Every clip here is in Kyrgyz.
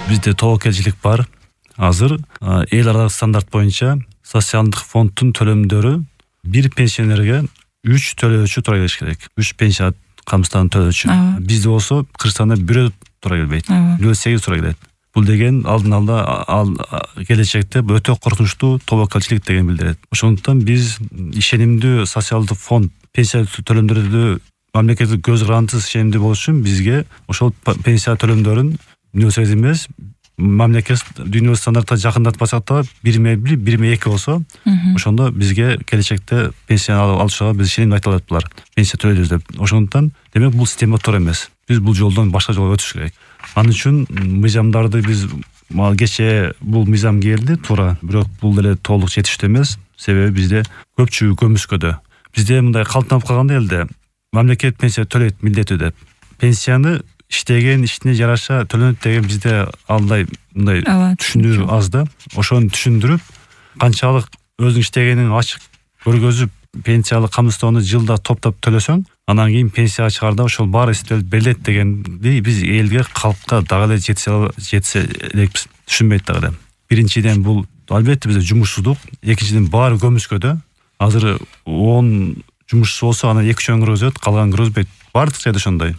Бизде тобокелчилик бар. Азыр эл аралык стандарт боюнча социалдык фонддун төлөмдөрү бир пенсионерге 3 төлөөчү туура келиш керек. 3 пенсия камсыздандыруу төлөөчү. Бизде болсо Кыргызстанда бирөө туура келбейт. Бирөө 8 туура келет. Бул деген алдын ала келечекте өтө коркунучтуу тобокелчилик деген билдирет. Ошондуктан биз ишенимдүү социалдык фонд пенсия төлөмдөрү мамлекеттик көз карандысыз ишенимдүү болуш үчүн бизге ошол пенсия төлөмдөрүн нөөсөз эмес мамлекет дүйнөлүк стандартка жакындатпасак да 1/2 болсо, ошондо бизге келечекте пенсия алышууга биз ишенимдүү айта алат булар. Пенсия төлөйбүз деп. Ошондуктан демек бул система туура эмес. Биз бул жолдон башка жолго өтүш керек. Анын үчүн мыйзамдарды биз кечээ бул мыйзам келди туура, бирок бул деле толук жетиштүү эмес. Себеби бизде көпчүлүгү көмүскөдө. Бизде мындай калыптанып калган элде мамлекет пенсия төлөйт милдеттүү деп. Пенсияны иштеген ишине жараша төлөнөт деген бизде мындай түшүндүрүү аз да. Ошону түшүндүрүп, канчалык өзүң иштегенин ачык көргөзүп, пенсиялык камсыздоону жылда топтоп төлөсөң, анан кийин пенсия чыгарда ошол баары эсептелип берилет дегенди биз элге, калкка дагы эле жетсе элекпиз. Түшүнбөйт дагы эле. Биринчиден бул албетте бизде жумушсуздук, экинчиден баары көмүскөдө. Азыр 10 жумушчу болсо анан 2-3 көргөзөт, калган көргөзбөйт. Баардык жайда ошондой.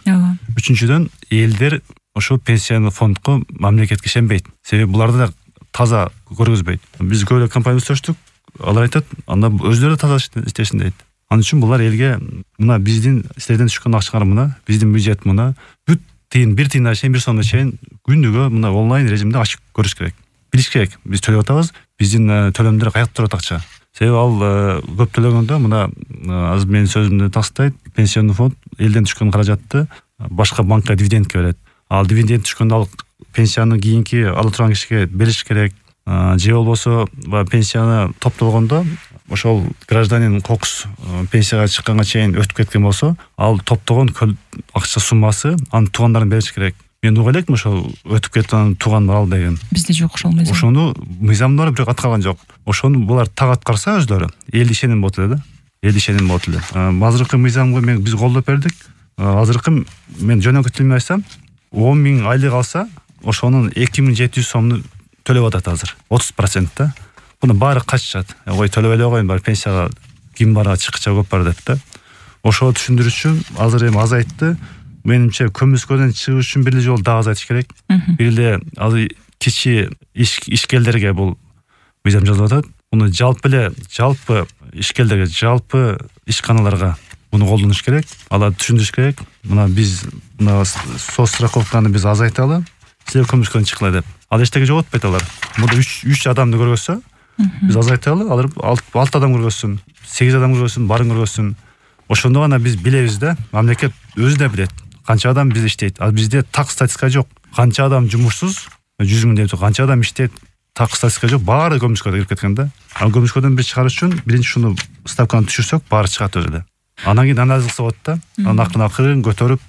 Үчүнчүдөн элдер ошо пенсияны фондко мамлекетке ишенбейт. Себеби буларды да таза көргөзбөйт. Биз көп эле компания сөчтүк, алар айтат, анда өздөрү таза иштешин дейт. Анын үчүн булар элге мына биздин силерден түшкөн акчаңар мына, биздин бюджет мына, бүт тыйын, бир тыйындан чейин, бир сомдон чейин күнүгө мына онлайн режимде ачык көрүш керек. Билиш керек, биз төлөп атабыз, биздин төлөмдөр каякта турат акча. Себеби ал көп төлөгөндө мына азыр менин сөзүмдү тастайт, пенсионный фонд элден түшкөн каражатты башка банкка дивидендке берет. Ал дивиденд түшкөндө ал пенсияны кийинки ала турган кишиге бериш керек. Же болбосо пенсияны топтолгондо ошол гражданин кокус пенсияга чыкканга чейин өтүп кеткен болсо, ал топтогон акча суммасы анын туугандарына бериш керек. Мен уга элекмин ошол өтүп кеткен тууган ал деген. Бизде жок ошол мыйзам. Ошону мыйзамдар бирок аткарган жок. Ошону булар так аткарса өздөрү, эл ишеним болот эле да. Эл ишеним болот эле. Азыркы мыйзамга биз колдоп бердик. Азыркы мен жөнөкөй тил менен айтсам, 10 000 айлык алса, ошонун 2700 сомду төлөп атат азыр. 30% да. Буну баары качышат. Ой, төлөп эле койгон, бар пенсияга ким бара, чыкча көп бар деп да. Ошого түшүндүрүш үчүн азыр эми азайтты. Менимче көмүскөдөн чыгыш үчүн бир эле жол дагы азайтыш керек. Бир эле азыр кичи ишкерлерге бул мыйзам жазылып атат. Муну жалпы ишкерлерге, жалпы ишканаларга муну колдонуш керек. Алар түшүндүрүш керек. Мына биз соцстраховканы биз азайталы, силер көмүскөдөн чыккыла деп. Ал эчтеге жоготпойт алар. Мында 3 адамды көргөзсө, биз азайталы, алар 6 адам көргөзсүн, 8 адам көргөзсүн, барын көргөзсүн. Ошондо гана биз билебиз да, мамлекет өзү да билет. Канча адам бизде иштейт. Ал бизде так статистика жок. Канча адам жумушсуз, 100 000 деп, канча адам иштейт, так статистика жок. Баары көмүскөдө кирип кеткен да. Ал көмүскөдөн биз чыгарыш үчүн биринчи шуну ставканы түшүрсөк, баары чыгат өзү эле. Анан кийин анализ кылса болот да. Анан акырын көтөрүп,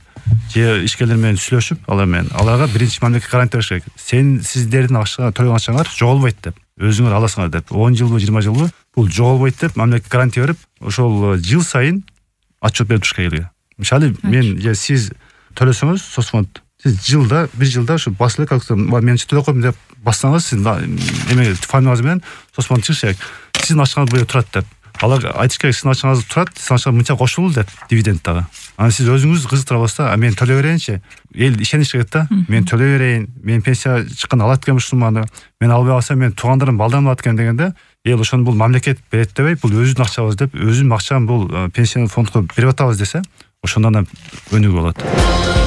же ишкерлер менен сүйлөшүп, аларга биринчи мамлекет гарантия бериш керек. Сиздердин акчага төлөгөн акчаңар жоголбойт деп. Өзүңөр аласыңар деп. 10 жылбы, 20 жылбы бул жоголбойт деп мамлекет гарантия берип, ошол жыл сайын отчет берип туруш керек эле. Мисалы мен же сиз төлөсөңүз соцфонд, сиз бир жылда ушу басылы как-то менче төлөп койдум деп бассаңыз, сиз эме фамилияңыз менен соцфонд чыгыш керек. Сиздин акчаңыз бул турат деп. Алар айтыш керек, сиздин акчаңыз турат, сиздин акчаңыз мынча кошулду деп, дивиденд дагы. Анан сиз өзүңүз кызыктыра болсо, мен төлөй берейинчи. Эл ишениш керек да. Мен төлөй берейин, мен пенсия чыкканда алат экен ушул сумманы. Мен албай калсам, мен туугандарым балдарым алат экен дегенде, эл ошону бул мамлекет берет дебей, бул өзүнүн акчабыз деп, өзүнүн акчам бул пенсия фондко берип атабыз десе, ошондон өнүгүү болот.